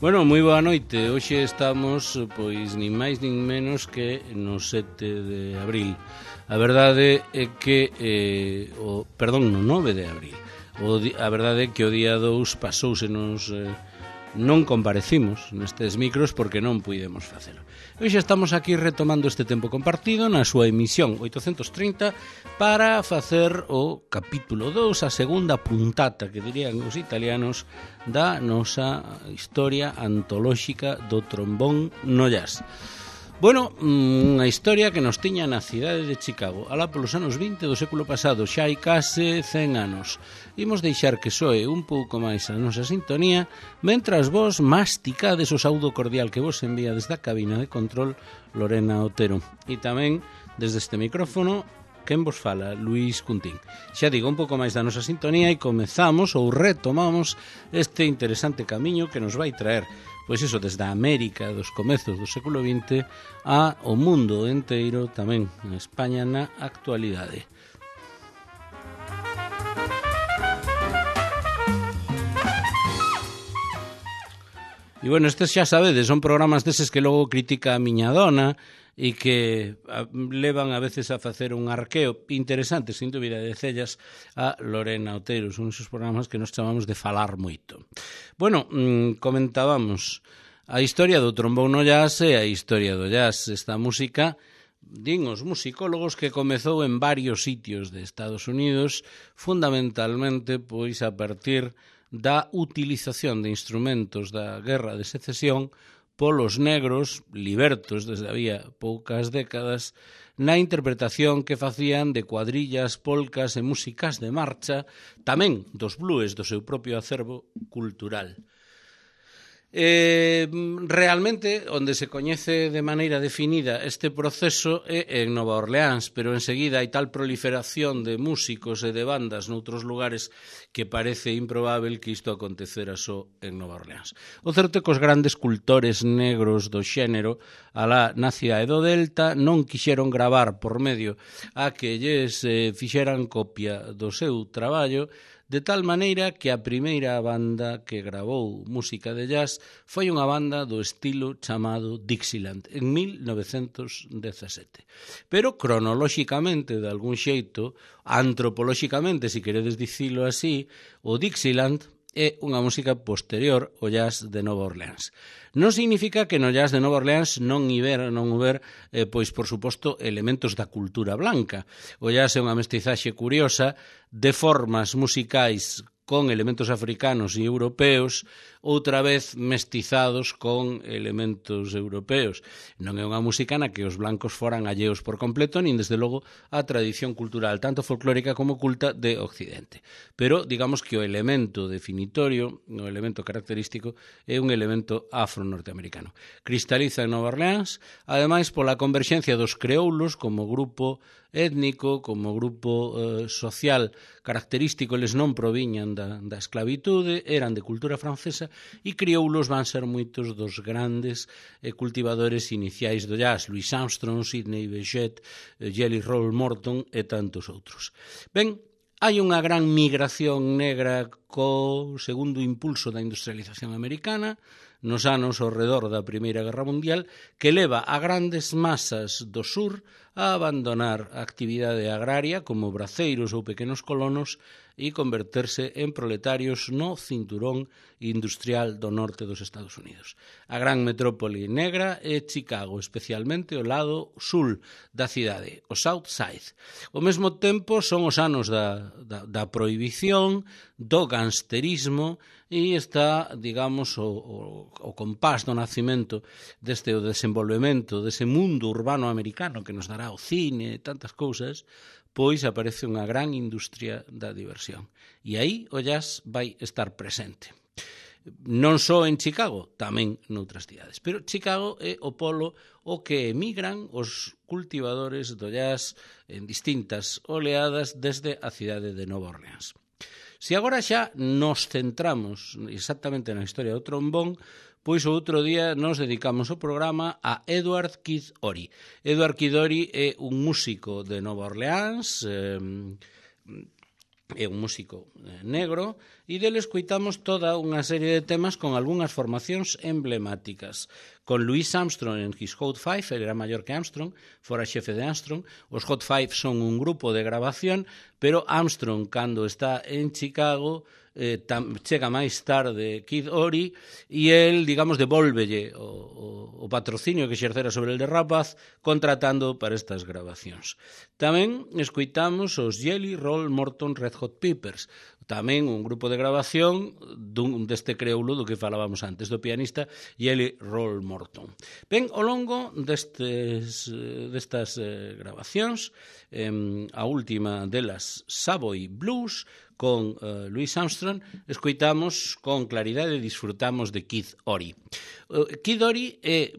Bueno, moi boa noite. Hoxe estamos, pois, nin máis nin menos que no 7 de abril. A verdade é que, no 9 de abril. A verdade é que o día 2 pasousenos, non comparecimos nestes micros porque non puidemos facelo. Hoxe estamos aquí retomando este tempo compartido na súa emisión 830 para facer o capítulo 2, a segunda puntata, que dirían os italianos, da nosa historia antolóxica do trombón no jazz. Bueno, unha historia que nos tiña na cidade de Chicago, alá polos anos 20 do século pasado, xa hai case 100 anos. Imos deixar que soe un pouco máis a nosa sintonía, mentras vos masticades o saudo cordial que vos envía desde a cabina de control Lorena Otero. E tamén, desde este micrófono, quen vos fala, Luís Cuntín. Xa digo, un pouco máis da nosa sintonía e comezamos ou retomamos este interesante camiño que nos vai traer, pois iso, desde a América dos comezos do século XX a o mundo enteiro, tamén en España na actualidade. E bueno, estes xa sabedes, son programas deses que logo critica a miña dona e que levan a veces a facer un arqueo interesante, sin dúbida, de cellas a Lorena Otero. Son esos programas que nos chamamos de falar moito. Bueno, comentábamos a historia do trombón no jazz e a historia do jazz. Esta música, din os musicólogos, que comezou en varios sitios de Estados Unidos, fundamentalmente pois a partir da utilización de instrumentos da Guerra de Secesión polos negros libertos desde había poucas décadas na interpretación que facían de cuadrillas, polcas e músicas de marcha, tamén dos blues do seu propio acervo cultural. Realmente, onde se coñece de maneira definida este proceso é en Nova Orleans, pero enseguida hai tal proliferación de músicos e de bandas noutros lugares que parece improbável que isto acontecera só en Nova Orleans. O certo é que os grandes cultores negros do xénero alá na cidade do Delta non quixeron gravar por medio a que lles fixeran copia do seu traballo, de tal maneira que a primeira banda que gravou música de jazz foi unha banda do estilo chamado Dixieland, en 1917. Pero cronolóxicamente, de algún xeito, antropolóxicamente, se queredes dicilo así, o Dixieland é unha música posterior ao jazz de Nova Orleans. Non significa que no jazz de Nova Orleans non huber, pois, por suposto, elementos da cultura blanca. O jazz é unha mestizaxe curiosa de formas musicais con elementos africanos e europeos, outra vez mestizados con elementos europeos. Non é unha música na que os blancos foran alleos por completo, nin desde logo a tradición cultural, tanto folclórica como culta, de Occidente. Pero, digamos que o elemento definitorio, o elemento característico, é un elemento afro-norteamericano. Cristaliza en Nova Orleans, ademais pola converxencia dos creoulos como grupo étnico, como grupo social característico. Eles non proviñan da esclavitude, eran de cultura francesa, e crioulos van ser moitos dos grandes cultivadores iniciais do jazz: Louis Armstrong, Sidney Bechet, Jelly Roll Morton e tantos outros. Ben, hai unha gran migración negra co segundo impulso da industrialización americana nos anos ao redor da Primeira Guerra Mundial, que leva a grandes masas do sur a abandonar a actividade agraria como braceiros ou pequenos colonos e converterse en proletarios no cinturón industrial do norte dos Estados Unidos. A gran metrópole negra é Chicago, especialmente o lado sul da cidade, o South Side. Ao mesmo tempo son os anos da prohibición, do gangsterismo, e está, digamos, o compás do nacimento deste o desenvolvemento dese mundo urbano americano que nos dará o cine e tantas cousas, pois aparece unha gran industria da diversión. E aí o jazz vai estar presente. Non só en Chicago, tamén noutras cidades. Pero Chicago é o polo o que emigran os cultivadores do jazz en distintas oleadas desde a cidade de Nova Orleans. Se agora xa nos centramos exactamente na historia do trombón, pois o outro día nos dedicamos o programa a Edward Kid Ory. Edward Kid Ory é un músico de Nova Orleans, é un músico negro, e dele escoitamos toda unha serie de temas con algunhas formacións emblemáticas. Con Louis Armstrong en His Hot Five, ele era maior que Armstrong, fora xefe de Armstrong. Os Hot Five son un grupo de grabación, pero Armstrong, cando está en Chicago, chega máis tarde Kid Ory, e el, digamos, devólvelle o patrocinio que exercera sobre el de rapaz, contratando para estas grabacións. Tamén escoitamos os Jelly Roll Morton Red Hot Peppers, tamén un grupo de grabación deste creoulo do que falábamos antes, do pianista Jelly Roll Morton. Ben, ao longo destas grabacións, a última delas, Savoy Blues, con Louis Armstrong, escoitamos con claridade e disfrutamos de Kid Ory. Kid Ory é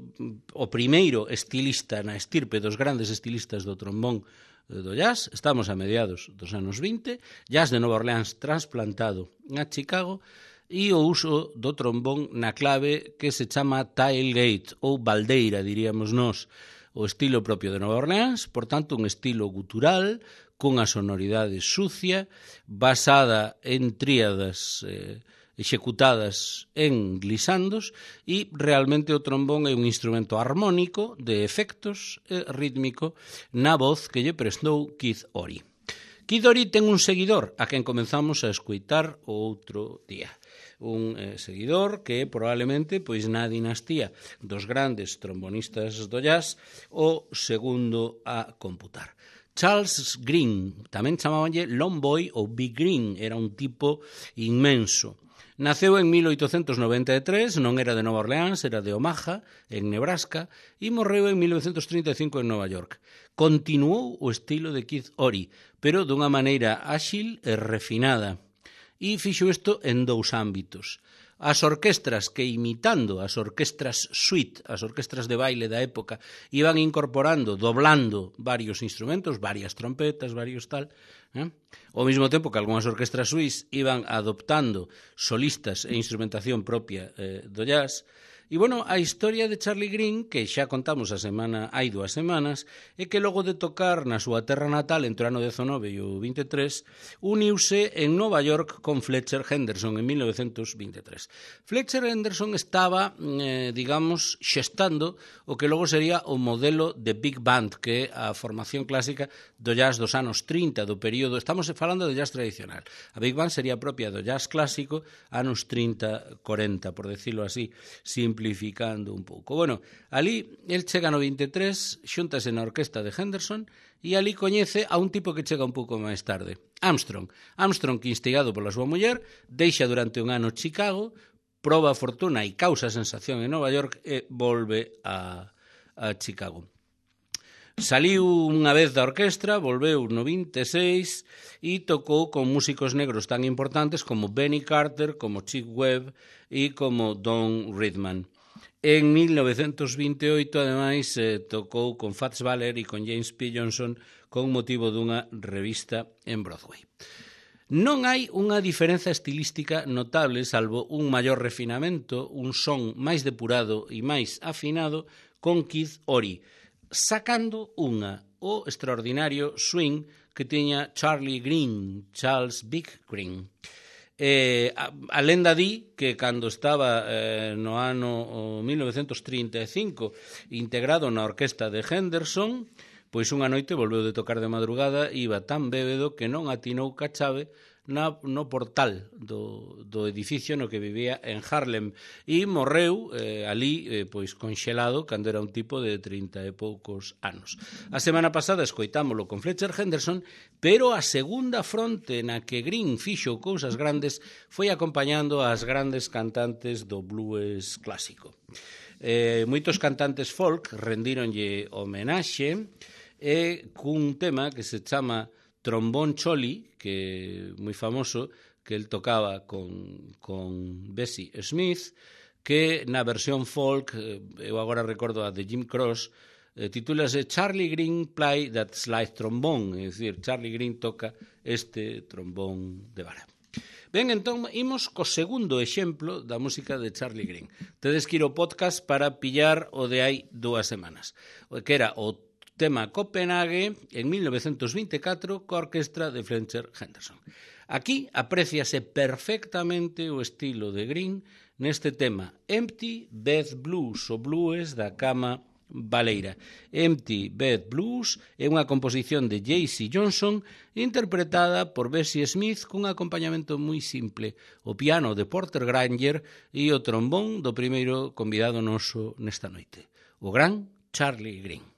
o primeiro estilista na estirpe dos grandes estilistas do trombón do jazz. Estamos a mediados dos anos 20, jazz de Nova Orleans trasplantado a Chicago, e o uso do trombón na clave que se chama tailgate ou baldeira, diríamos nós, o estilo propio de Nova Orleans, por tanto un estilo gutural cunha sonoridade sucia, basada en tríadas executadas en glisandos, e realmente o trombón é un instrumento armónico de efectos rítmico na voz que lle prestou Kid Ory. Kid Ory ten un seguidor a quen comenzamos a escoitar o outro día. Un seguidor que probablemente, pois na dinastía dos grandes trombonistas do jazz, o segundo a computar. Charles Green, tamén chamabanlle Long Boy ou Big Green, era un tipo inmenso. Naceu en 1893, non era de Nova Orleans, era de Omaha, en Nebraska, e morreu en 1935 en Nova York. Continuou o estilo de Kid Ory, pero dunha maneira áxil e refinada. E fixo isto en dous ámbitos. As orquestras que, imitando as orquestras suite, as orquestras de baile da época, iban incorporando, doblando varios instrumentos, varias trompetas, varios tal, ao mesmo tempo que algunhas orquestras suís iban adoptando solistas e instrumentación propia do jazz. E, bueno, a historia de Charlie Green, que xa contamos hai 2 semanas, é que logo de tocar na súa terra natal entre o ano 19 e o 23, uniuse en Nova York con Fletcher Henderson en 1923. Fletcher Henderson estaba, digamos, xestando o que logo sería o modelo de Big Band, que é a formación clásica do jazz dos anos 30, do período, estamos falando de jazz tradicional. A Big Band sería propia do jazz clásico, anos 30-40, por decirlo así, simplificando un pouco. Bueno, ali, el chega no 23, xuntase na orquesta de Henderson, e ali coñece a un tipo que chega un pouco máis tarde, Armstrong. Armstrong, que instigado pola súa muller, deixa durante un ano Chicago, proba a fortuna e causa sensación en Nova York e volve a Chicago. Saliu unha vez da orquestra, volveu no 26 e tocou con músicos negros tan importantes como Benny Carter, como Chick Webb e como Don Ridman. En 1928, ademais, tocou con Fats Waller e con James P. Johnson con motivo dunha revista en Broadway. Non hai unha diferenza estilística notable, salvo un maior refinamento, un son máis depurado e máis afinado con Kid Ory, sacando o extraordinario swing que tiña Charlie Green, Charles Big Green. A lenda di que cando estaba no ano 1935 integrado na orquesta de Henderson, pois unha noite volveu de tocar de madrugada e iba tan bébedo que non atinou ca chave no portal do edificio no que vivía en Harlem e morreu ali pois conxelado cando era un tipo de 30 e poucos anos. A semana pasada escoitámolo con Fletcher Henderson, pero a segunda fronte na que Green fixo cousas grandes foi acompañando as grandes cantantes do blues clásico. Moitos cantantes folk rendíronlle homenaxe cun tema que se chama Trombón Choli, que é moi famoso, que el tocaba con Bessie Smith, que na versión folk, eu agora recordo a de Jim Cross, titúlase Charlie Green Play That Slide Trombone, é dicir, Charlie Green toca este trombón de vara. Ben, entón, imos co segundo exemplo da música de Charlie Green. Tedes que ir ao podcast para pillar o de hai 2 semanas, que era o tema Copenhague en 1924 coa orquestra de Fletcher Henderson. Aquí apréciase perfectamente o estilo de Green neste tema Empty Bed Blues, o blues da cama baleira. Empty Bed Blues é unha composición de J.C. Johnson interpretada por Bessie Smith cun acompañamento moi simple, o piano de Porter Granger e o trombón do primeiro convidado noso nesta noite, o gran Charlie Green.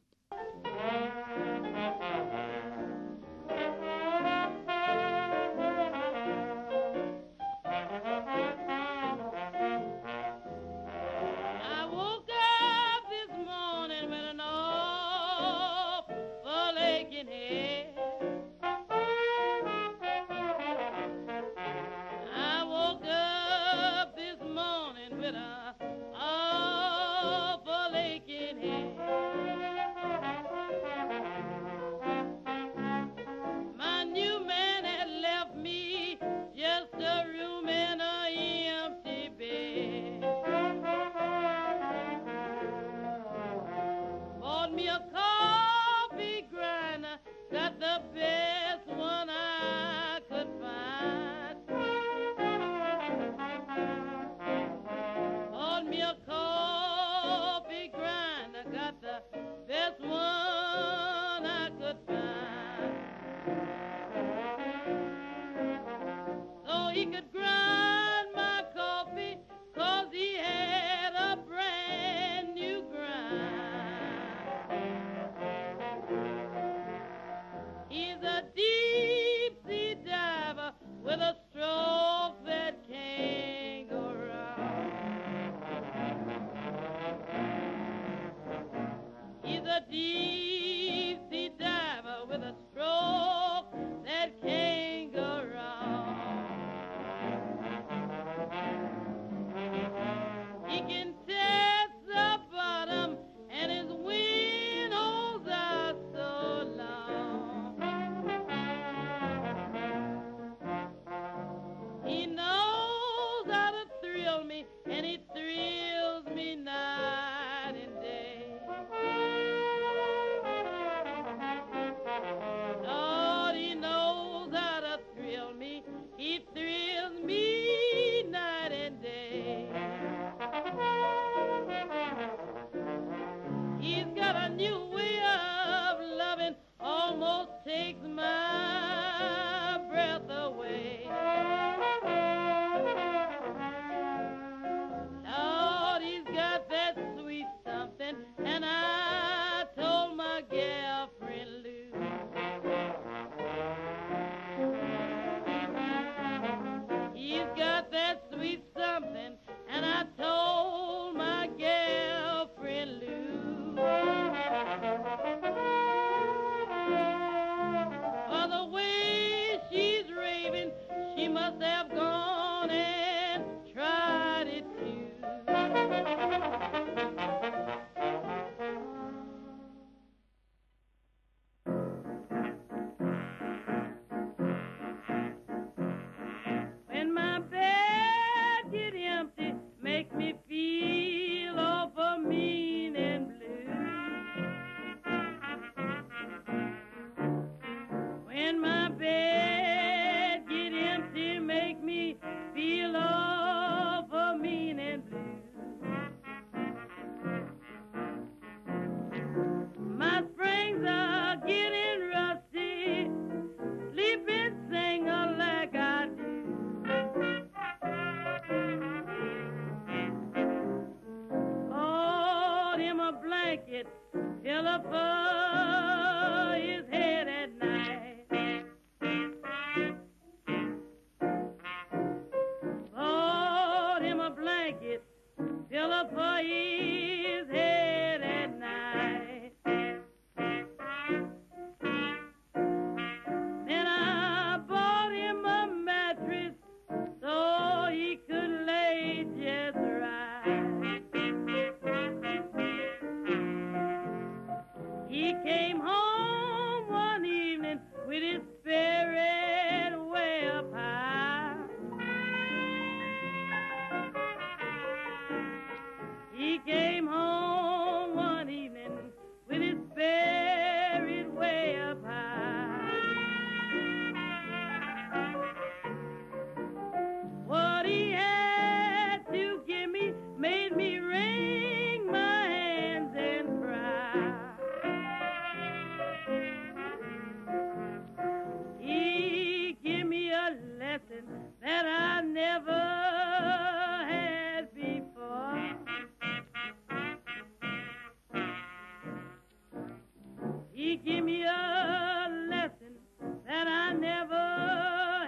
He gave me a lesson that I never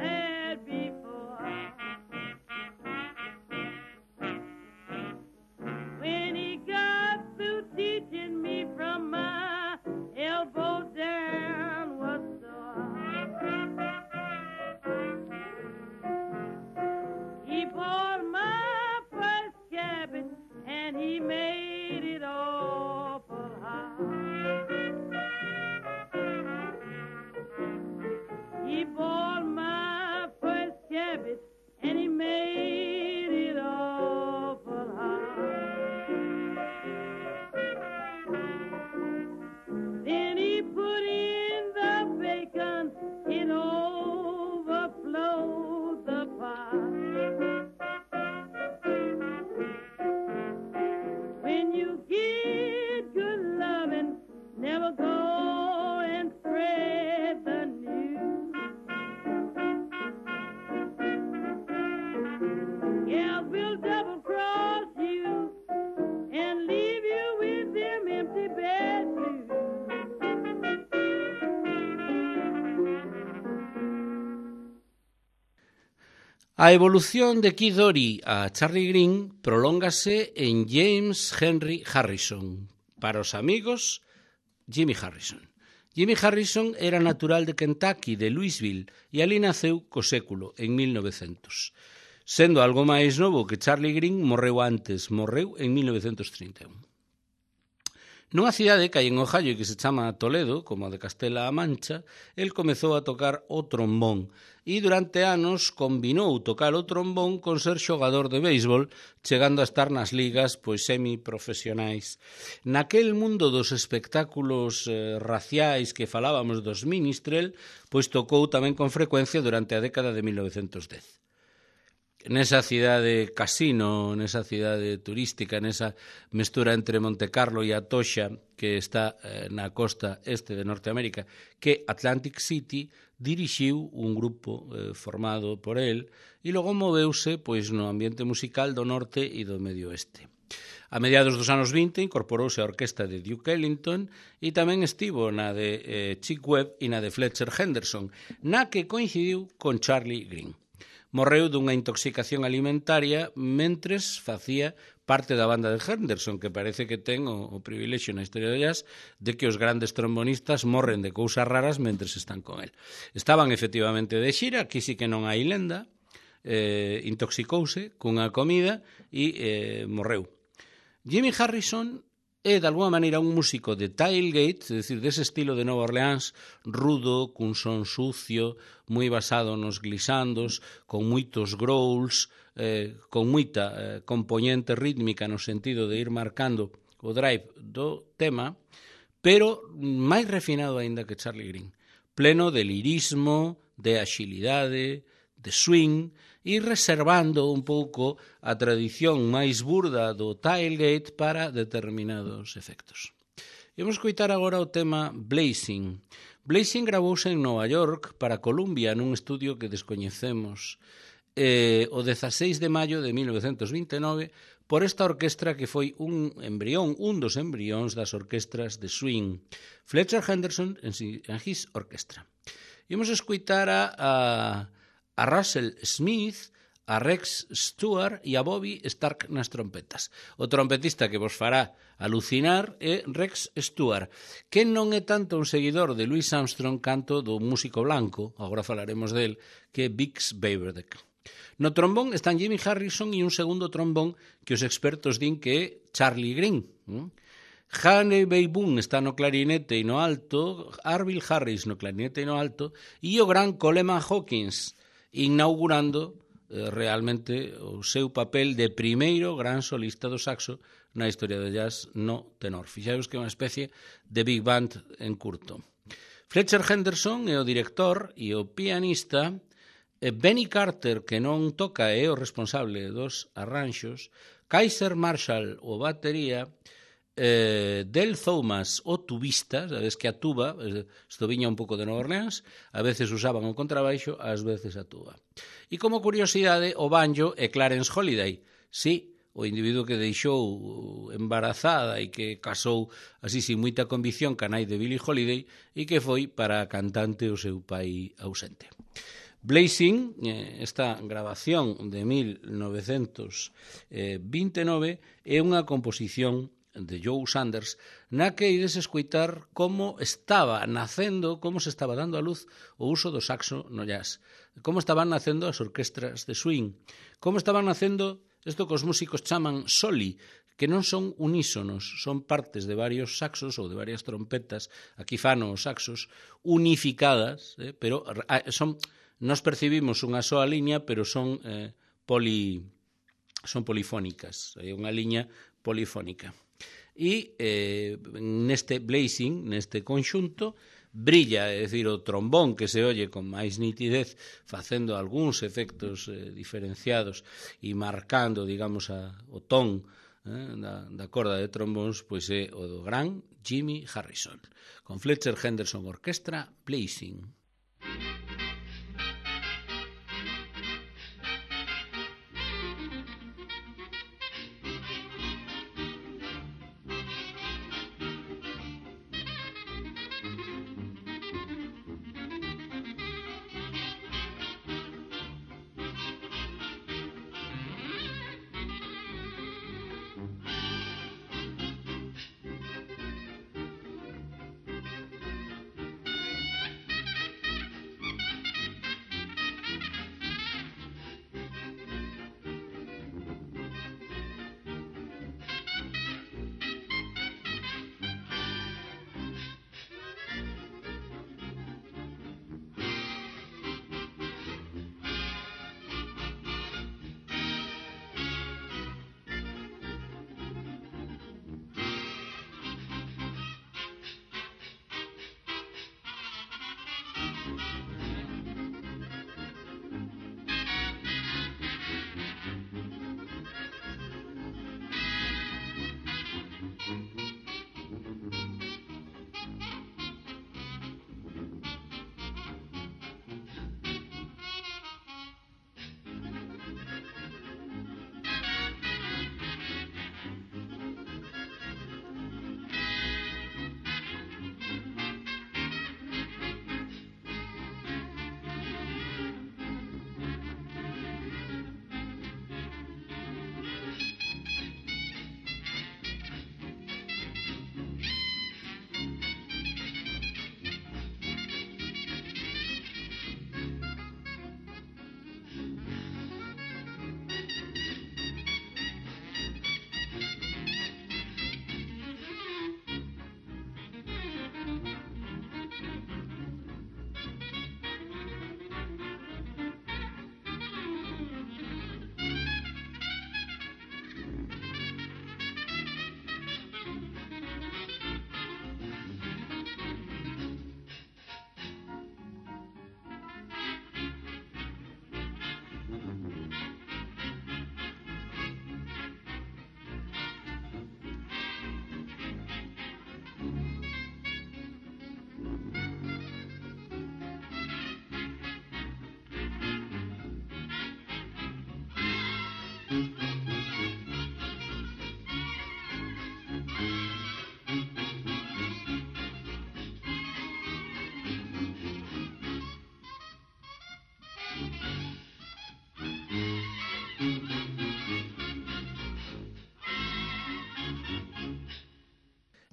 had before. When he got through teaching me, from my elbow down was sore. He bought my first cabin and he made it awful hard. He bought my first cabin and he made it awful hard. Then he put in the bacon, it overflowed the pot. When you get good loving, never go and spread the news. Gals will double cross you and leave you with them empty bed blues. A evolución de Kid Ory a Charlie Green prolóngase en James Henry Harrison. Para os amigos, Jimmy Harrison. Jimmy Harrison era natural de Kentucky, de Louisville, e ali naceu co século, en 1900. Sendo algo máis novo que Charlie Green, morreu en 1931. Nunha cidade que hai en Ohio que se chama Toledo, como a de Castela-A Mancha, el comezou a tocar o trombón e durante anos combinou tocar o trombón con ser xogador de béisbol, chegando a estar nas ligas semiprofesionais. Naquel mundo dos espectáculos raciais que falábamos dos Minstrel, tocou tamén con frecuencia durante a década de 1910. Nesa cidade casino, nesa cidade turística, nesa mestura entre Montecarlo e Atocha, que está na costa este de Norteamérica, que Atlantic City, dirixiu un grupo formado por el e logo moveuse no ambiente musical do norte e do medio oeste. A mediados dos anos 20 incorporouse a orquesta de Duke Ellington e tamén estivo na de Chick Webb e na de Fletcher Henderson, na que coincidiu con Charlie Green. Morreu dunha intoxicación alimentaria mentres facía parte da banda de Henderson, que parece que ten o privilexio na historia do jazz de que os grandes trombonistas morren de cousas raras mentres están con el. Estaban efectivamente de xira, aquí sí que non hai lenda, intoxicouse cunha comida e morreu. Jimmy Harrison é, de alguma maneira, un músico de tailgate, é dicir, dese estilo de Nova Orleans, rudo, cun son sucio, moi basado nos glissandos, con moitos growls, con moita componente rítmica no sentido de ir marcando o drive do tema, pero máis refinado aínda que Charlie Green. Pleno de lirismo, de axilidade, de swing, e reservando un pouco a tradición máis burda do tailgate para determinados efectos. Imos coitar agora o tema Blazing. Blazing gravouse en Nova York para Columbia nun estudio que descoñecemos o 16 de maio de 1929 por esta orquestra que foi un dos embrións das orquestras de swing, Fletcher Henderson and his orchestra. Imos escoitar a Russell Smith, a Rex Stewart e a Bobby Stark nas trompetas. O trompetista que vos fará alucinar é Rex Stewart, que non é tanto un seguidor de Louis Armstrong canto do músico blanco, agora falaremos del, que é Bix Beiderbecke. No trombón están Jimmy Harrison e un segundo trombón que os expertos din que é Charlie Green. Haney Boone está no clarinete e no alto, Arvil Harris no clarinete e no alto, e o gran Coleman Hawkins, inaugurando realmente o seu papel de primeiro gran solista do saxo na historia do jazz no tenor. Fixaos que é unha especie de big band en curto. Fletcher Henderson é o director e o pianista, Benny Carter, que non toca, é o responsable dos arranxos, Kaiser Marshall, o batería, Del Thomas, o tubista, sabes que a tuba, isto viña un pouco de Nova Orleans, a veces usaban o contrabaixo, ás veces a tuba. E como curiosidade, o banjo é Clarence Holiday, sí, o individuo que deixou embarazada e que casou así sin moita convicción ca nai de Billie Holiday e que foi para a cantante o seu pai ausente. Blazing, esta grabación de 1929, é unha composición de Joe Sanders na que ides escoitar como estaba nacendo, como se estaba dando a luz o uso do saxo no jazz, como estaban nacendo as orquestras de swing, como estaban nacendo isto que os músicos chaman soli, que non son unísonos, son partes de varios saxos ou de varias trompetas, aquí fano os saxos, unificadas, pero son, nos percibimos unha soa liña, pero son polifónicas, é unha liña polifónica. E neste blazing, neste conxunto, brilla, é dicir, o trombón que se oye con máis nitidez facendo algúns efectos diferenciados e marcando, digamos, o ton da corda de trombóns, pois é o do gran Jimmy Harrison, con Fletcher Henderson Orquestra, Blazing.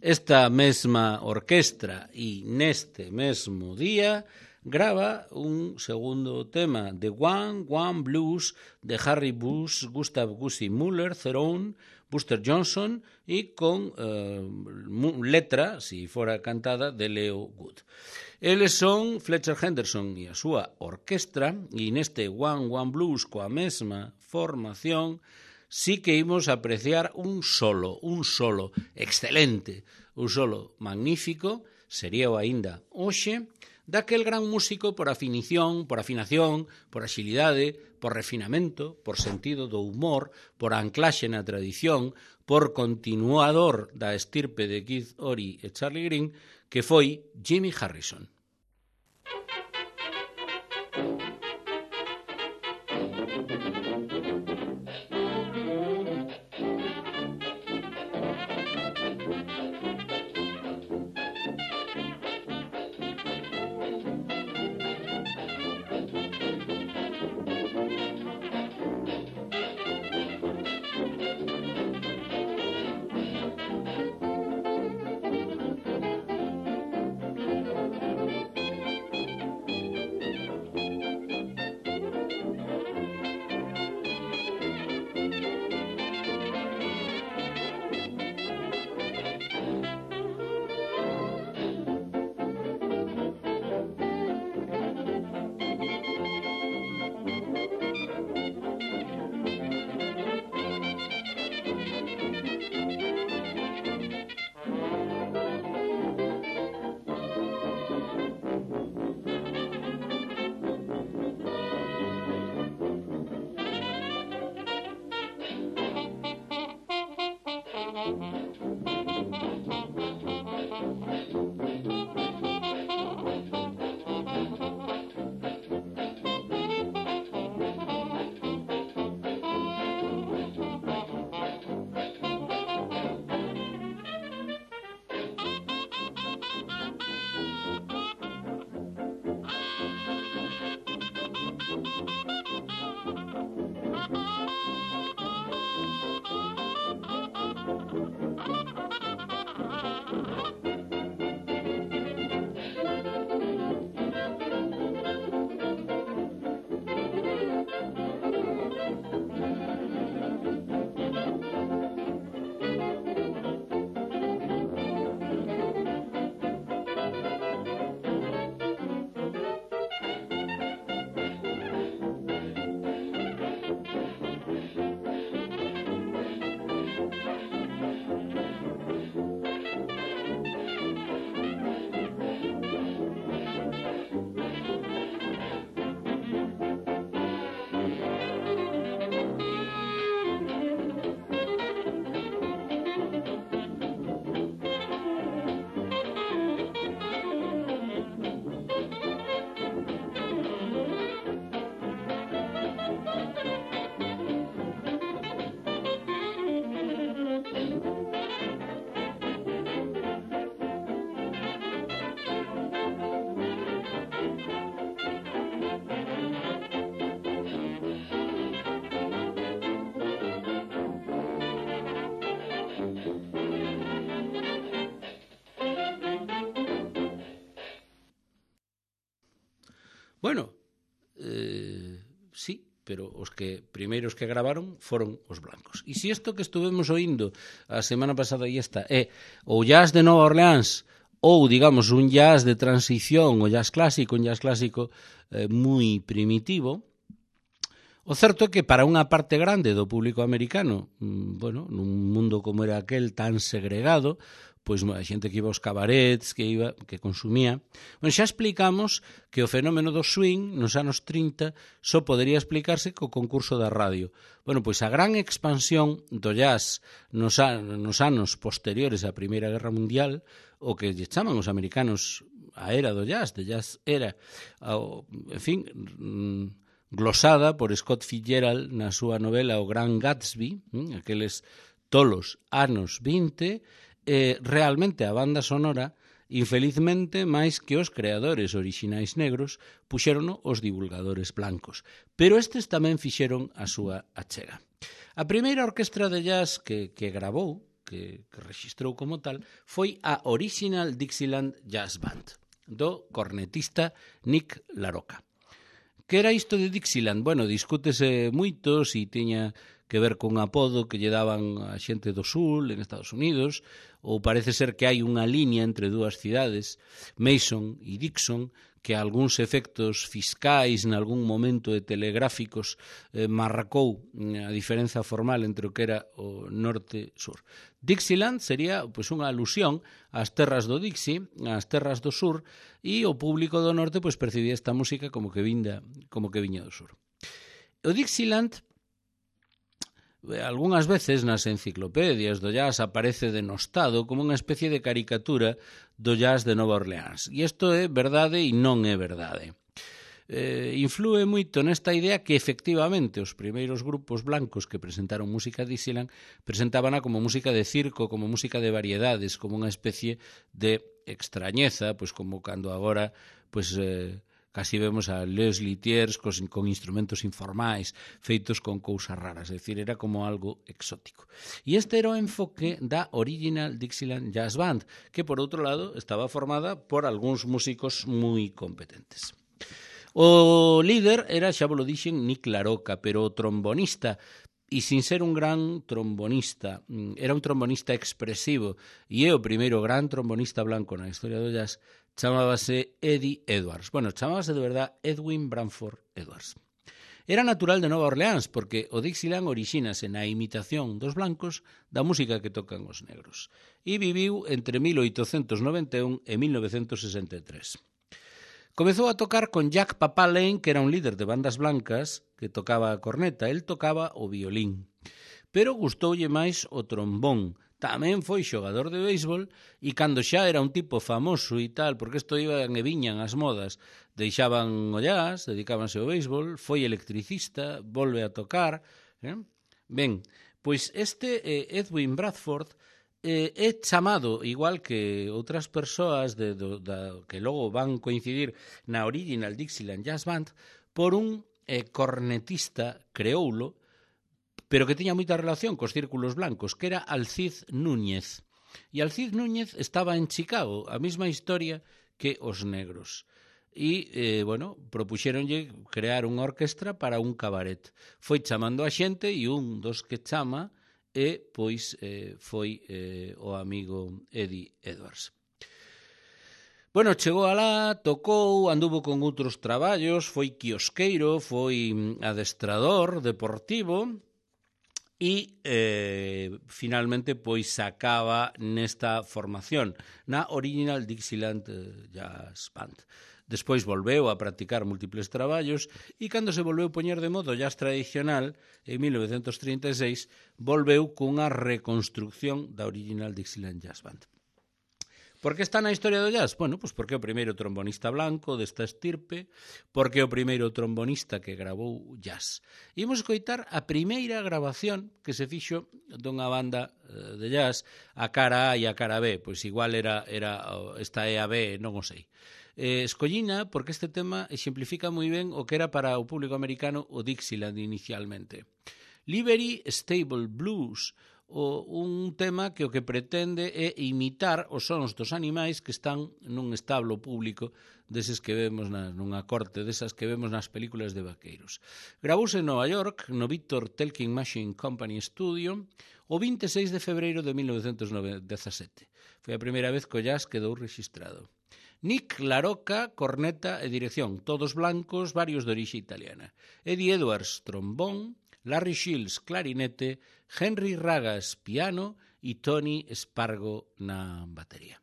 Esta mesma orquestra e neste mesmo día grava un segundo tema de One Blues de Harry Bush, Gustav Gussie Muller, Theron, Buster Johnson e con letra, si fora cantada, de Leo Wood. Eles son Fletcher Henderson e a súa orquestra e neste One Blues coa mesma formación sí que imos apreciar un solo excelente, un solo magnífico, sería o aínda hoxe, daquel gran músico por afinación, por axilidade, por refinamento, por sentido do humor, por anclaxe na tradición, por continuador da estirpe de Keith Ory e Charlie Green, que foi Jimmy Harrison. Bueno, sí, pero os que primeiros que gravaron foron os blancos. E se isto que estuvemos oindo a semana pasada e esta é o jazz de Nova Orleans ou, digamos, un jazz de transición, un jazz clásico moi primitivo, o certo é que para unha parte grande do público americano, bueno, nun mundo como era aquel tan segregado, pois a xente que iba aos cabarets, que consumía. Bueno, xa explicamos que o fenómeno do swing nos anos 30 só podería explicarse co concurso da radio. Bueno, pois a gran expansión do jazz nos anos posteriores á Primeira Guerra Mundial, o que lle chaman os americanos a era do jazz, de jazz era, en fin, glosada por Scott Fitzgerald na súa novela O Gran Gatsby, aqueles tolos anos 20, realmente a banda sonora, infelizmente, máis que os creadores orixinais negros, puxérono os divulgadores blancos. Pero estes tamén fixeron a súa achega. A primeira orquestra de jazz que gravou, que registrou como tal, foi a Original Dixieland Jazz Band, do cornetista Nick LaRocca. Que era isto de Dixieland? Bueno, discútese moito se tiña que ver con apodo que lle daban a xente do sur en Estados Unidos, ou parece ser que hai unha liña entre dúas cidades, Mason e Dixon, que algúns efectos fiscais nalgún momento de telegráficos marcou a diferenza formal entre o que era o norte e sur. Dixieland sería pois unha alusión ás terras do Dixie, ás terras do sur, e o público do norte pois percibía esta música como que viña do sur. O Dixieland, algunhas veces nas enciclopedias do jazz aparece denostado como unha especie de caricatura do jazz de Nova Orleans. E isto é verdade e non é verdade. Inflúe moito nesta idea que efectivamente os primeiros grupos blancos que presentaron música Dixieland presentábana como música de circo, como música de variedades, como unha especie de extrañeza, pois como cando agora pois casi vemos a Les Luthiers con instrumentos informais feitos con cousas raras, é dicir, era como algo exótico. E este era o enfoque da Original Dixieland Jazz Band, que por outro lado estaba formada por algúns músicos moi competentes. O líder era, xa vos lo dixen, Nick LaRocca, pero o trombonista, e sin ser un gran trombonista, era un trombonista expresivo, e é o primeiro gran trombonista blanco na historia do jazz, chamábase Eddie Edwards. Bueno, chamábase de verdad Edwin Branford Edwards. Era natural de Nova Orleans, porque o Dixieland orixínase na imitación dos blancos da música que tocan os negros, e viviu entre 1891 e 1963. Comezou a tocar con Jack Papa Lane, que era un líder de bandas blancas, que tocaba a corneta, el tocaba o violín. Pero gustoulle máis o trombón. Tamén foi xogador de béisbol e cando xa era un tipo famoso e tal, porque isto iban e viñan as modas, deixaban o jazz, dedicábanse ao béisbol, foi electricista, volve a tocar. Ben, pois este Edwin Bradford é chamado, igual que outras persoas que logo van coincidir na Original Dixieland Jazz Band, por un cornetista creoulo, pero que tiña moita relación cos círculos blancos, que era Alcide Núñez. E Alcide Núñez estaba en Chicago, a mesma historia que os negros. E, bueno, propuxéronlle crear unha orquestra para un cabaret. Foi chamando a xente e un dos que chama e, pois, foi o amigo Eddie Edwards. Bueno, chegou alá, tocou, anduvo con outros traballos, foi quiosqueiro, foi adestrador deportivo e, finalmente, pois, acaba nesta formación, na Original Dixieland Jazz Band. Despois volveu a practicar múltiples traballos e cando se volveu poñer de modo jazz tradicional, en 1936, volveu cunha reconstrucción da Original Dixieland Jazz Band. Por que está na historia do jazz? Bueno, pois porque é o primeiro trombonista blanco desta estirpe, porque é o primeiro trombonista que gravou jazz. Imos escoitar a primeira grabación que se fixo dunha banda de jazz, a cara A e a cara B, pois igual era esta é a B, non o sei. Escollina porque este tema exemplifica moi ben o que era para o público americano o Dixieland inicialmente. Livery Stable Blues, un tema que o que pretende é imitar os sons dos animais que están nun establo público deses que vemos nunha corte desas que vemos nas películas de vaqueiros. Gravouse en Nova York, no Victor Talking Machine Company Studio, o 26 de febreiro de 1917. Foi a primeira vez que o jazz quedou rexistrado. Nick Laroca, corneta e dirección, todos blancos, varios de orixe italiana. Eddie Edwards, trombón, Larry Shields, clarinete, Henry Ragas, piano e Tony Spargo na batería.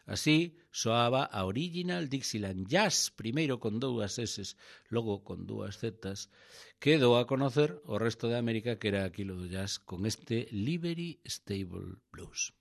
Así soaba a Original Dixieland Jazz, primeiro con 2 S, logo con 2 Z, que dou a conocer o resto de América que era aquilo do jazz con este Livery Stable Blues.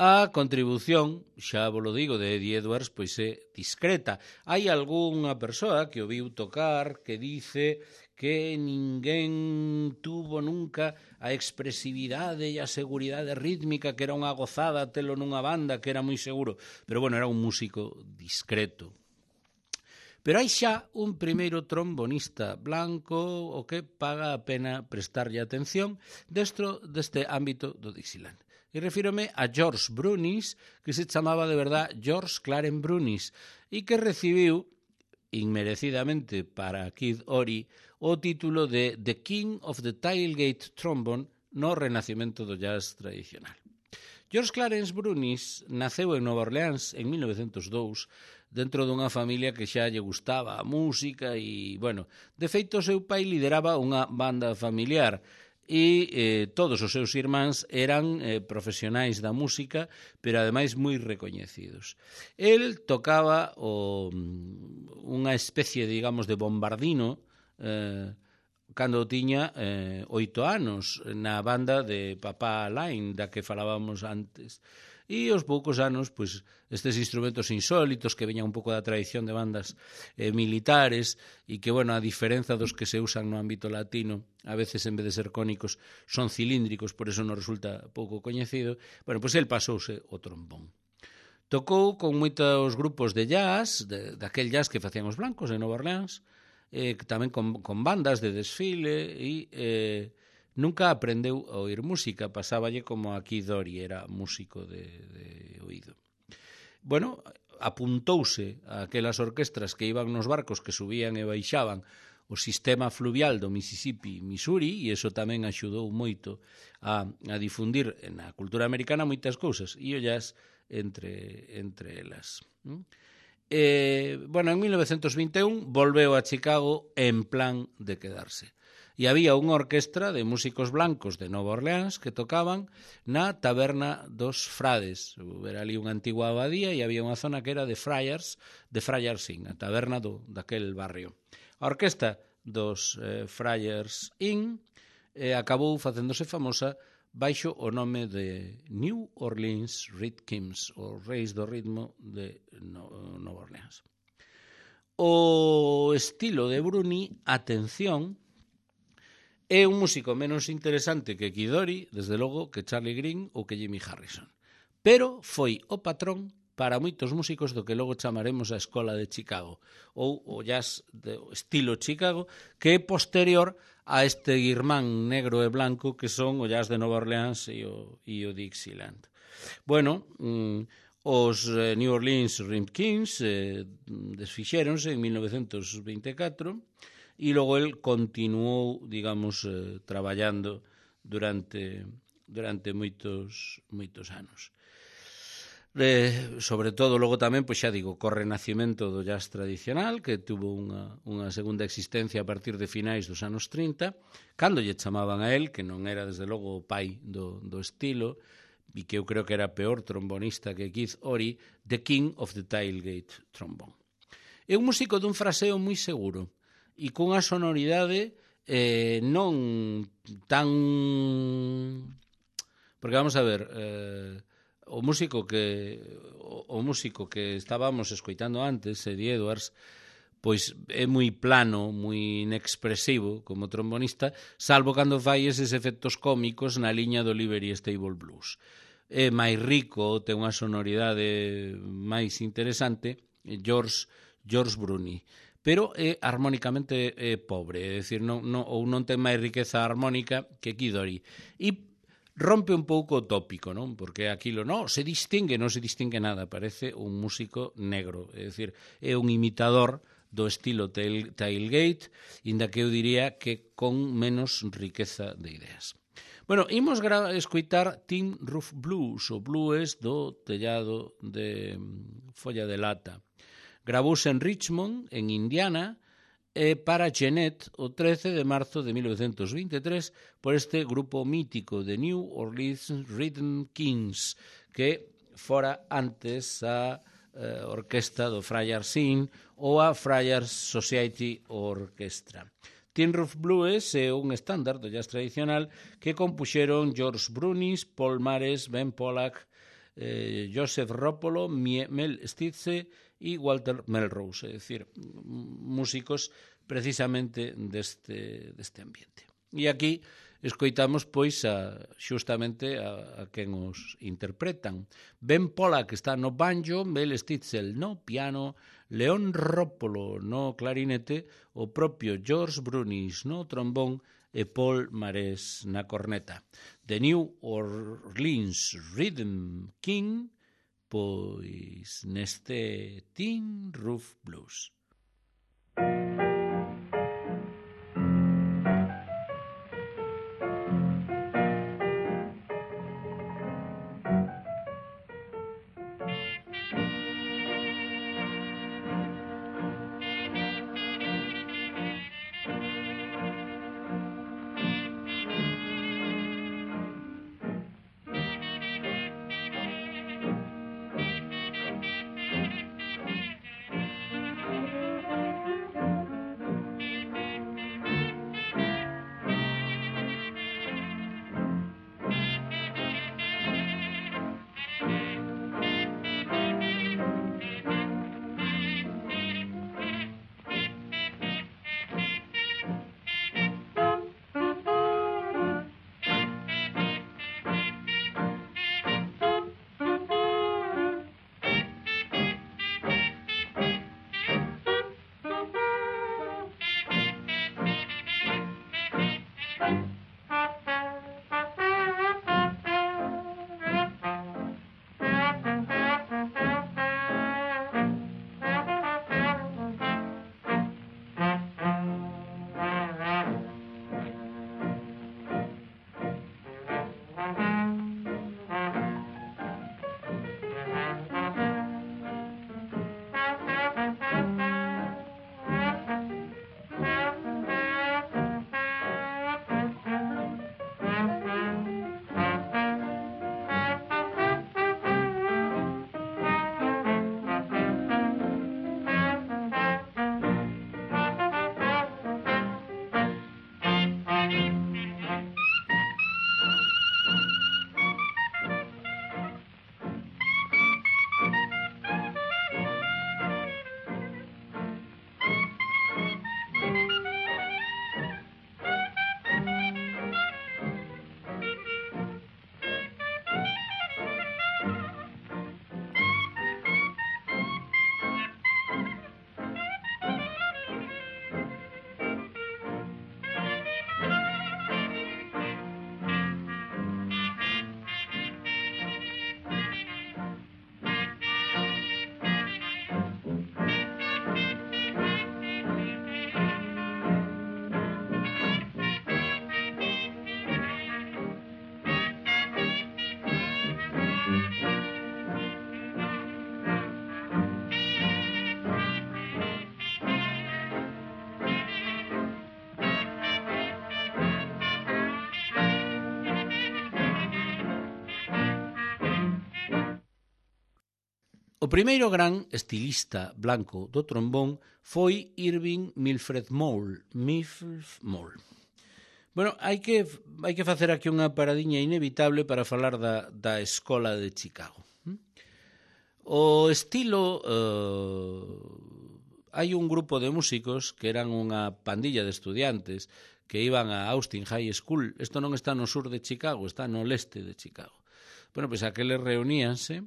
A contribución, xa vos lo digo, de Eddie Edwards, pois é discreta. Hai algunha persoa que o viu tocar que dice que ninguén tuvo nunca a expresividade e a seguridade rítmica, que era unha gozada telo nunha banda, que era moi seguro. Pero, bueno, era un músico discreto. Pero hai xa un primeiro trombonista blanco o que paga a pena prestarlle atención deste ámbito do Dixieland. E refírome a George Brunis, que se chamaba de verdad George Clarence Brunis, e que recibiu, inmerecidamente para Kid Ory, o título de The King of the Tailgate Trombone no renacimento do jazz tradicional. George Clarence Brunis naceu en Nova Orleans en 1902, dentro dunha familia que xa lle gustaba a música e, bueno, de feito, o seu pai lideraba unha banda familiar e todos os seus irmáns eran profesionais da música, pero ademais moi recoñecidos. El tocaba unha especie, digamos, de bombardino cando tiña 8 anos na banda de Papá Line, da que falábamos antes. E aos poucos anos, pois, estes instrumentos insólitos que veñan un pouco da tradición de bandas militares e que, bueno, a diferenza dos que se usan no ámbito latino, a veces en vez de ser cónicos son cilíndricos, por eso non resulta pouco coñecido, bueno, pois el pasouse o trombón. Tocou con moitos grupos de jazz, daquel jazz que facían os blancos en Nova Orleans, tamén con bandas de desfile e nunca aprendeu a oír música, pasáballe como aquí Dori, era músico de oído. Bueno, apuntouse a aquelas orquestras que iban nos barcos que subían e baixaban o sistema fluvial do Mississippi, Missouri, e iso tamén axudou moito a difundir na cultura americana moitas cousas, e o jazz entre elas. Bueno, en 1921 volveu a Chicago en plan de quedarse. E había unha orquestra de músicos blancos de Nova Orleans que tocaban na Taberna dos Frades. Era ali unha antigua abadía e había unha zona que era de Friars Inn, a taberna daquel barrio. A orquesta dos Friars Inn acabou facéndose famosa baixo o nome de New Orleans Rhythms, os Reis do Ritmo de Nova Orleans. O estilo de Bruni, atención, é un músico menos interesante que Kid Ory, desde logo, que Charlie Green ou que Jimmy Harrison. Pero foi o patrón para moitos músicos do que logo chamaremos a Escola de Chicago, ou o jazz do estilo Chicago, que é posterior a este irmán negro e blanco que son o jazz de Nova Orleans e o Dixieland. Bueno, os New Orleans Rhythms desfixéronse en 1924, e logo el continuou, digamos, traballando durante moitos anos. Sobre todo, logo tamén, pois xa digo, co renacimento do jazz tradicional, que tuvo unha segunda existencia a partir de finais dos anos 30, cando lle chamaban a él, que non era, desde logo, o pai do estilo, e que eu creo que era peor trombonista que Keith Ory, the King of the Tailgate Trombone. É un músico dun fraseo moi seguro, e cunha sonoridade non tan... Porque vamos a ver, o músico que estábamos escoitando antes, Eddie Edwards, pois é moi plano, moi inexpresivo como trombonista, salvo cando fai eses efectos cómicos na liña do Livery Stable Blues. É máis rico, ten unha sonoridade máis interesante, George Bruni, pero é armónicamente pobre, é dicir, non ten máis riqueza armónica que Kid Ory. E rompe un pouco o tópico, non? Porque aquilo non se distingue nada, parece un músico negro, é dicir, é un imitador do estilo Tailgate, inda que eu diría que con menos riqueza de ideas. Bueno, imos escoitar Tin Roof Blues, o blues do tellado de folla de lata. Gravouse en Richmond, en Indiana, para Jeanette o 13 de marzo de 1923 por este grupo mítico de New Orleans Rhythm Kings, que fora antes a orquesta do Friars Inn ou a Friars Society Orchestra. Tin Roof Blues é un estándar do jazz tradicional que compuxeron George Brunis, Paul Mares, Ben Pollack, Joseph Roppolo, Mel Stitze e Walter Melrose, é dicir, músicos precisamente deste ambiente. E aquí escoitamos pois xustamente a quen os interpretan. Ben Pollack está no banjo, Mel Stitzel no piano, Leon Roppolo no clarinete, o propio George Brunis no trombón e Paul Mares na corneta. The New Orleans Rhythm King, pois neste Tin Roof Blues. O primeiro gran estilista blanco do trombón foi Irving Milfred Moule. Bueno, hai que facer aquí unha paradiña inevitable para falar da Escola de Chicago. O estilo... hai un grupo de músicos que eran unha pandilla de estudiantes que iban a Austin High School. Isto non está no sur de Chicago, está no leste de Chicago. Bueno, pois aqueles reuníanse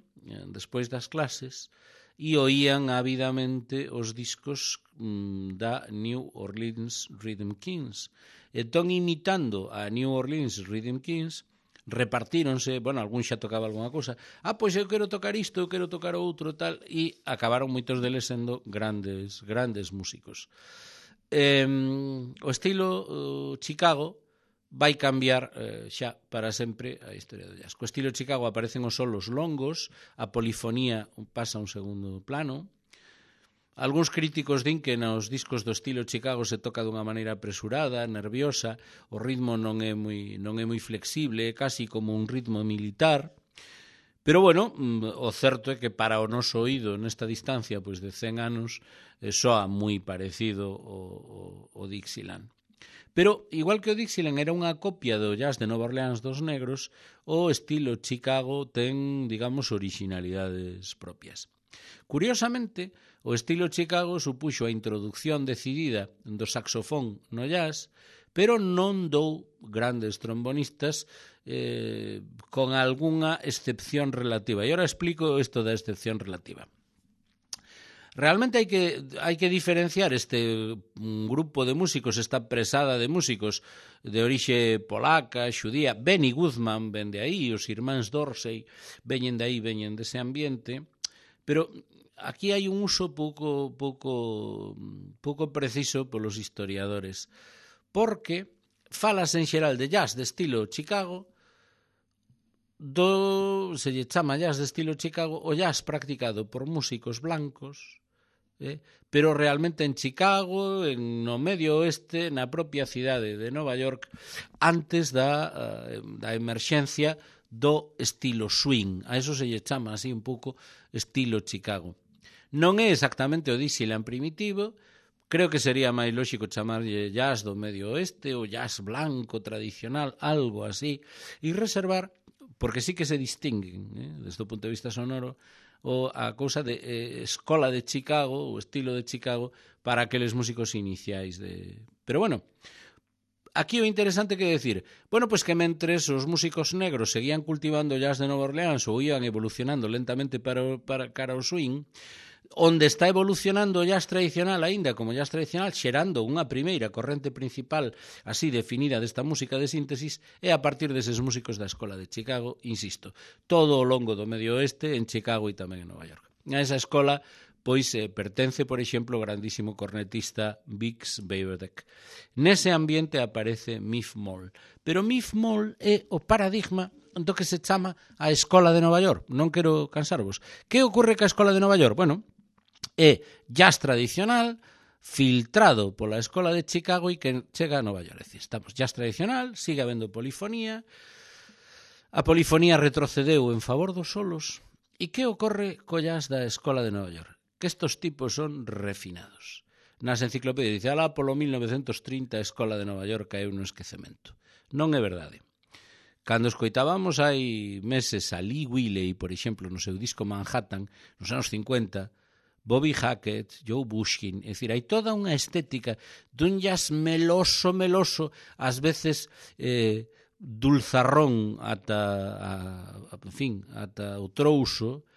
despois das clases e oían ávidamente os discos da New Orleans Rhythm Kings. Entón, imitando a New Orleans Rhythm Kings, repartíronse, bueno, algún xa tocaba alguna cousa, pois eu quero tocar isto, eu quero tocar outro, tal, e acabaron moitos deles sendo grandes músicos. O estilo Chicago vai cambiar xa para sempre a historia do jazz. Co estilo Chicago aparecen os solos longos, a polifonía pasa a un segundo plano. Algúns críticos din que nos discos do estilo Chicago se toca dunha maneira apresurada, nerviosa, o ritmo non é moi flexible, é casi como un ritmo militar. Pero, bueno, o certo é que para o noso oído nesta distancia pois de 100 anos soa moi parecido o Dixieland. Pero, igual que o Dixieland era unha copia do jazz de Nova Orleans dos negros, o estilo Chicago ten, digamos, originalidades propias. Curiosamente, o estilo Chicago supuxo a introducción decidida do saxofón no jazz, pero non dou grandes trombonistas con algunha excepción relativa. E agora explico isto da excepción relativa. Realmente hai que diferenciar este grupo de músicos, esta presada de músicos de orixe polaca, xudía. Benny Goodman ven de aí, os irmáns Dorsey veñen de aí, veñen dese ambiente, pero aquí hai un uso pouco preciso polos historiadores, porque falas en xeral de jazz de estilo Chicago, se lle chama jazz de estilo Chicago, o jazz practicado por músicos blancos, pero realmente en Chicago, no medio oeste, na propia cidade de Nova York, antes da emerxencia do estilo swing. A eso se lle chama así un pouco estilo Chicago. Non é exactamente o Dixieland primitivo, creo que sería máis lóxico chamarlle jazz do medio oeste ou jazz blanco tradicional, algo así, e reservar, porque sí que se distinguen, desde o punto de vista sonoro, a cousa de escola de Chicago, o estilo de Chicago, para aqueles músicos iniciais. Pero bueno, aquí o interesante que decir, bueno, pois que mentres os músicos negros seguían cultivando jazz de Nova Orleans ou iban evolucionando lentamente para cara ao swing, onde está evolucionando o jazz tradicional aínda como jazz tradicional, xerando unha primeira corrente principal así definida desta música de síntesis, é a partir deses músicos da Escola de Chicago, insisto, todo o longo do Medio Oeste, en Chicago e tamén en Nova York. A esa escola pois pertence, por exemplo, o grandísimo cornetista Bix Beiderbecke. Nese ambiente aparece Miff Mall, pero Miff Mall é o paradigma do que se chama a Escola de Nova York. Non quero cansarvos. Que ocorre ca Escola de Nova York? Bueno, é jazz tradicional filtrado pola Escola de Chicago e que chega a Nova York. É dicir, estamos jazz tradicional, sigue habendo polifonía, a polifonía retrocedeu en favor dos solos. E que ocorre co jazz da Escola de Nova York? Que estos tipos son refinados. Nas enciclopedias dice, alá polo 1930 a Escola de Nova York caeu no esquecemento. Non é verdade. Cando escoitábamos hai meses a Lee Willey, por exemplo, no seu disco Manhattan, nos anos 50, Bobby Hackett, Joe Bushkin, é dicir, hai toda unha estética dun jazz meloso, ás veces dulzarrón ata o trouso,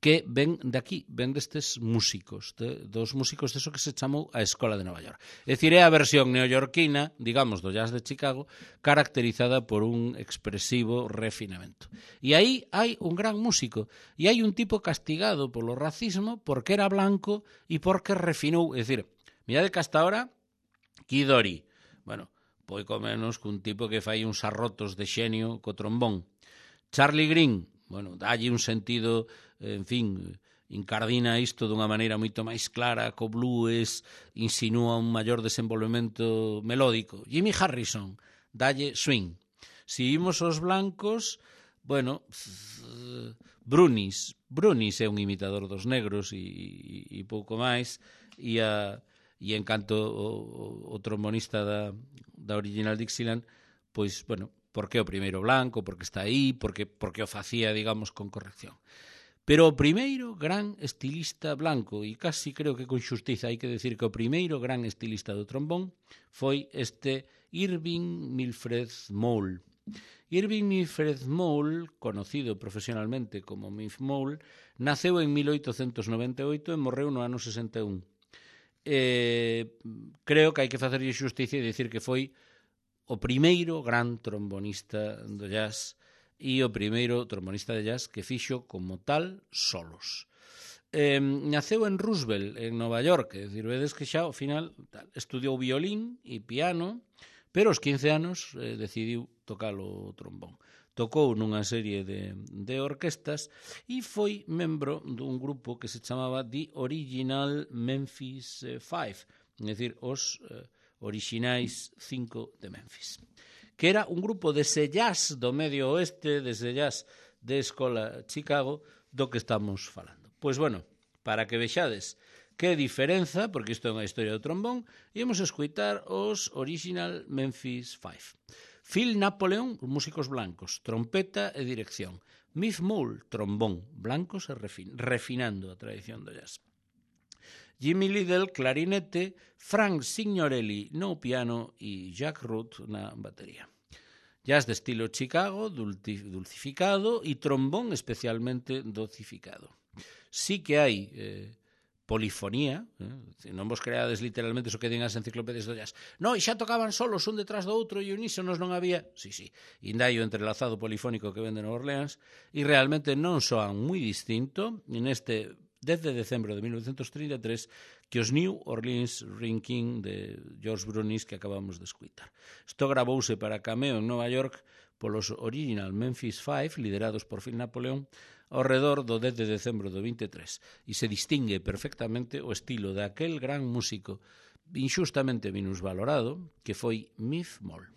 que ven daqui, ven destes músicos, dos músicos deso que se chamou a Escola de Nova York. É dicir, é a versión neoyorquina, digamos, do jazz de Chicago, caracterizada por un expresivo refinamento. E aí hai un gran músico, e hai un tipo castigado polo racismo porque era blanco e porque refinou. É dicir, mirade que hasta ahora, Kid Ory, bueno, poico menos cun tipo que fai uns arrotos de xenio co trombón. Charlie Green, bueno, dalle un sentido, en fin, incardina isto dunha maneira moito máis clara, co blues, insinúa un maior desenvolvemento melódico. Jimmy Harrison, dalle swing. Si imos aos blancos, bueno, Brunis é un imitador dos negros e pouco máis, e en canto o trombonista da original Dixieland, pois, bueno, porque o primeiro blanco, porque está aí, porque o facía, digamos, con corrección. Pero o primeiro gran estilista blanco, e casi creo que con xustiza hai que decir que o primeiro gran estilista do trombón foi este Irving Milfred Moule. Irving Milfred Moule, conocido profesionalmente como Miff Mall, naceu en 1898 e morreu no ano 61. Creo que hai que facerlle xusticia e dicir que foi o primeiro gran trombonista do jazz e o primeiro trombonista de jazz que fixo como tal solos. Naceu en Roosevelt, en Nova York, é dicir, vedes que xa ao final estudiou violín e piano, pero aos 15 anos decidiu tocar o trombón. Tocou nunha serie de orquestas e foi membro dun grupo que se chamaba The Original Memphis Five, é dicir, os orixinais 5 de Memphis, que era un grupo dese jazz do Medio Oeste, dese jazz de Escola Chicago, do que estamos falando. Pois, bueno, para que vexades que diferenza, porque isto é unha historia do trombón, íamos a escoitar os Original Memphis Five. Phil Napoleon, músicos blancos, trompeta e dirección. Miff Mall, trombón, blancos e refinando a tradición do jazz. Jimmy Liddell, clarinete, Frank Signorelli no piano e Jack Root na batería. Jazz de estilo Chicago, dulcificado, e trombón especialmente docificado. Sí que hai polifonía, non vos creades literalmente iso que din as enciclopedias do jazz. No, e xa tocaban solos un detrás do outro e unísonos non había. Sí, ainda hai o entrelazado polifónico que vende Nova Orleans e realmente non soan moi distinto neste 10 de decembro de 1933 que os New Orleans Ring-King de George Brunis que acabamos de escutar. Isto gravouse para cameo en Nova York polos Original Memphis Five, liderados por Phil Napoleon, ao redor do 10 de decembro do 23, e se distingue perfectamente o estilo daquel gran músico injustamente minusvalorado que foi Miff Mall.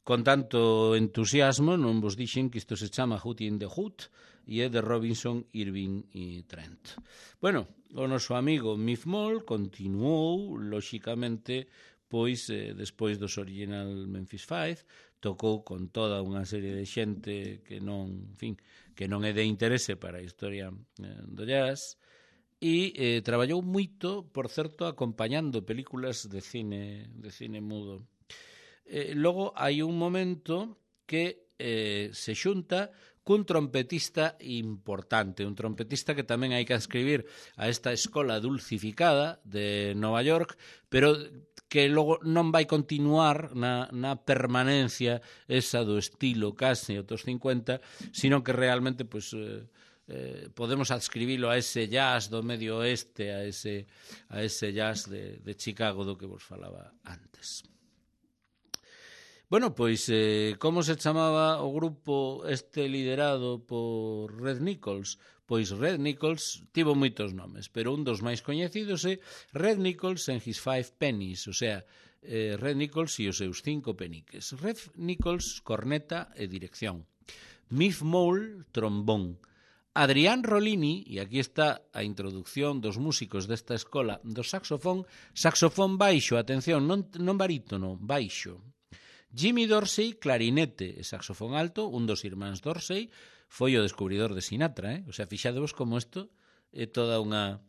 con tanto entusiasmo, non vos dixen que isto se chama Hootie in the Hood e é de Robinson, Irving e Trent. Bueno, o noso amigo Miff Mall continuou, lóxicamente, pois, despois dos original Memphis Five, tocou con toda unha serie de xente que non, en fin, que non é de interese para a historia do jazz, e traballou moito, por certo, acompañando películas de cine mudo. Logo hai un momento que se xunta cun trompetista importante, un trompetista que tamén hai que ascribir a esta escola dulcificada de Nova York, pero que logo non vai continuar na permanencia esa do estilo casi aos 50, sino que realmente pues, podemos adscribilo a ese jazz do medio oeste, a ese jazz de Chicago do que vos falaba antes. Bueno, pois, como se chamaba o grupo este liderado por Red Nichols? Pois Red Nichols tivo moitos nomes, pero un dos máis coñecidos é Red Nichols and his 5 pennies, o sea, Red Nichols e os seus 5 peniques. Red Nichols, corneta e dirección. Miff Mall, trombón. Adrián Rollini, e aquí está a introducción dos músicos desta escola do saxofón baixo, atención, non barítono, baixo. Jimmy Dorsey, clarinete e saxofón alto, un dos irmáns Dorsey, foi o descubridor de Sinatra, O sea, fixadevos como isto é toda unha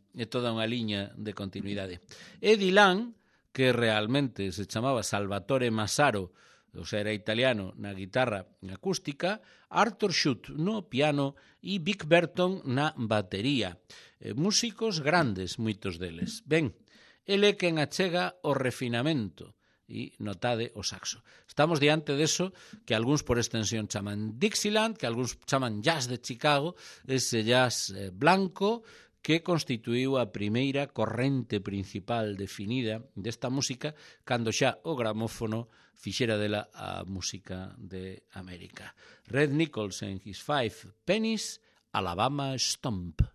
liña de continuidade. Eddie Lang, que realmente se chamaba Salvatore Massaro, o sea, era italiano, na guitarra acústica, Arthur Schutt no piano e Vic Berton na batería. Músicos grandes, moitos deles. Ben, ele quen achega o refinamento, e notade o saxo. Estamos diante deso que algúns por extensión chaman Dixieland, que algúns chaman jazz de Chicago, ese jazz blanco que constituíu a primeira corrente principal definida desta música cando xa o gramófono fixera dela a música de América. Red Nichols and his 5 pennies, Alabama Stomp.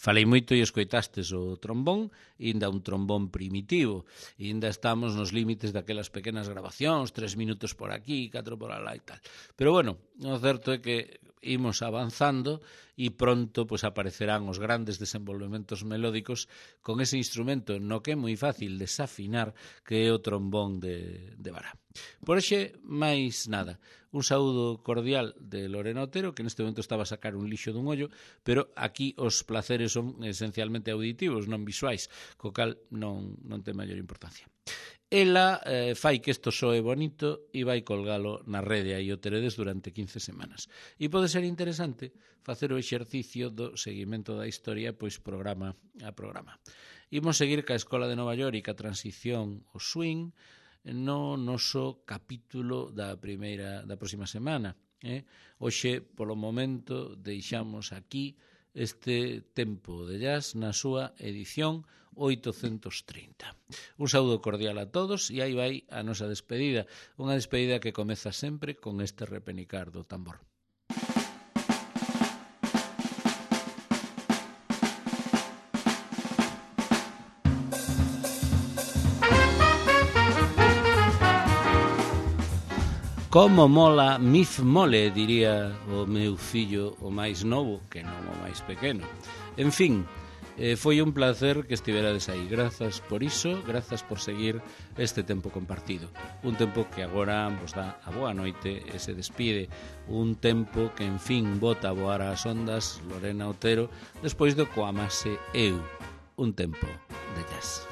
Falei moito e escoitastes o trombón, inda un trombón primitivo, inda estamos nos límites daquelas pequenas grabacións, 3 minutos por aquí, 4 por alá e tal. Pero bueno, o certo é que imos avanzando e pronto pues, aparecerán os grandes desenvolvementos melódicos con ese instrumento no que é moi fácil desafinar que é o trombón de vara. Por hoxe, máis nada. Un saúdo cordial de Lorena Otero, que neste momento estaba a sacar un lixo dun ollo, pero aquí os placeres son esencialmente auditivos, non visuais, co cal non ten maior importancia. Ela fai que isto soe bonito e vai colgalo na rede aí o teredes durante 15 semanas. E pode ser interesante facer o exercicio do seguimento da historia pois programa a programa. Imos seguir ca Escola de Nova York e ca transición ao swing no noso capítulo da próxima semana. Hoxe, polo momento, deixamos aquí este tempo de jazz na súa edición 830. Un saúdo cordial a todos e aí vai a nosa despedida, unha despedida que comeza sempre con este repenicar do tambor. Como mola Mif Mole, diría o meu fillo o máis novo, que non o máis pequeno. En fin, foi un placer que estiverades aí. Grazas por iso, grazas por seguir este tempo compartido. Un tempo que agora vos dá a boa noite e se despide. Un tempo que, en fin, bota a voar as ondas Lorena Otero despois do Coamase Eu. Un tempo de jazz.